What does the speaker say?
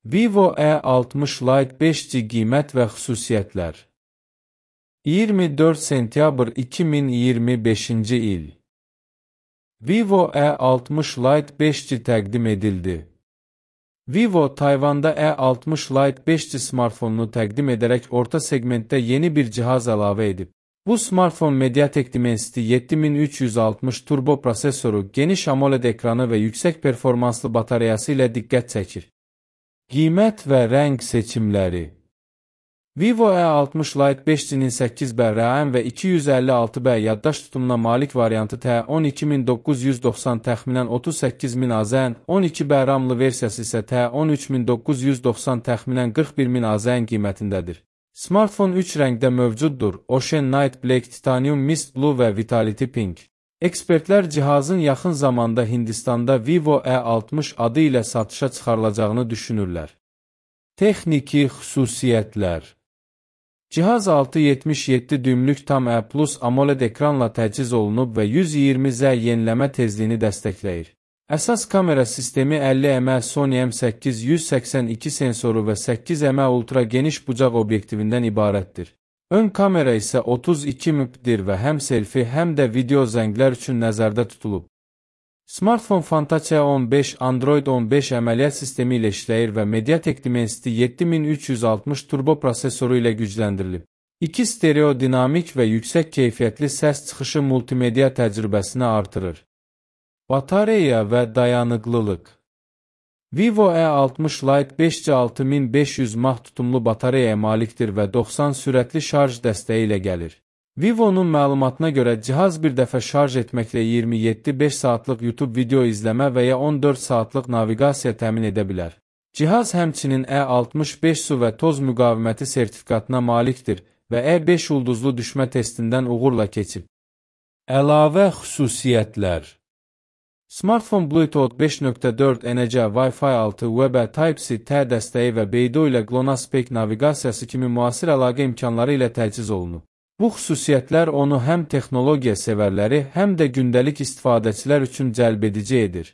Vivo E60 Lite 5G qiymət və xüsusiyyətlər. 24 sentyabr 2025-ci il. Vivo E60 Lite 5G təqdim edildi. Vivo Tayvanda E60 Lite 5G smartfonunu təqdim edərək orta segmentdə yeni bir cihaz əlavə edib. Bu smartfon Mediatek Dimensity 7360 turbo prosesoru, geniş AMOLED ekranı və yüksək performanslı batareyası ilə diqqət çəkir. Qiymət və rəng seçimləri. Vivo E60 Lite 5G-nin 8B RAM və 256B yaddaş tutumuna malik variantı T12990 təxminən 38000 AZN, 12B RAM-lı versiyası isə T13990 təxminən 41000 AZN qiymətindədir. Smartfon 3 rəngdə mövcuddur: Ocean Night Black, Titanium Mist Blue və Vitality Pink. Ekspertlər cihazın yaxın zamanda Hindistanda Vivo E60 adı ilə satışa çıxarılacağını düşünürlər. Texniki xüsusiyyətlər. Cihaz 6.77 düymlük tam E+ AMOLED ekranla təchiz olunub və 120Hz yeniləmə tezliyini dəstəkləyir. Əsas kamera sistemi 50mm Sony M8-182 sensoru və 8mm ultra geniş bucaq obyektivindən ibarətdir. Ön kamera isə 32 MP-dir və həm selfie, həm də video zənglər üçün nəzərdə tutulub. Smartfon Fantasia 15 Android 15 əməliyyat sistemi ilə işləyir və Mediatek Dimensity 7360 turbo prosesoru ilə gücləndirilib. 2 stereo dinamik və yüksək keyfiyyətli səs çıxışı multimedia təcrübəsini artırır. Batareya və dayanıqlılıq. Vivo E60 Lite 5G 6500 mAh tutumlu batareyaya malikdir və 90 sürətli şarj dəstəyi ilə gəlir. Vivo'nun məlumatına görə cihaz bir dəfə şarj etməklə 27-5 saatlıq YouTube video izləmə və ya 14 saatlıq naviqasiya təmin edə bilər. Cihaz həmçinin E65 su və toz müqaviməti sertifikatına malikdir və E5 ulduzlu düşmə testindən uğurla keçib. Əlavə xüsusiyyətlər. Smartfon Bluetooth 5.4 NC, Wi-Fi 6, USB, Type-C dəstəyi və Beidou ilə GLONASS Pay naviqasiyası kimi müasir əlaqə imkanları ilə təchiz olunub. Bu xüsusiyyətlər onu həm texnologiya sevərləri, həm də gündəlik istifadəçilər üçün cəlbedici edir.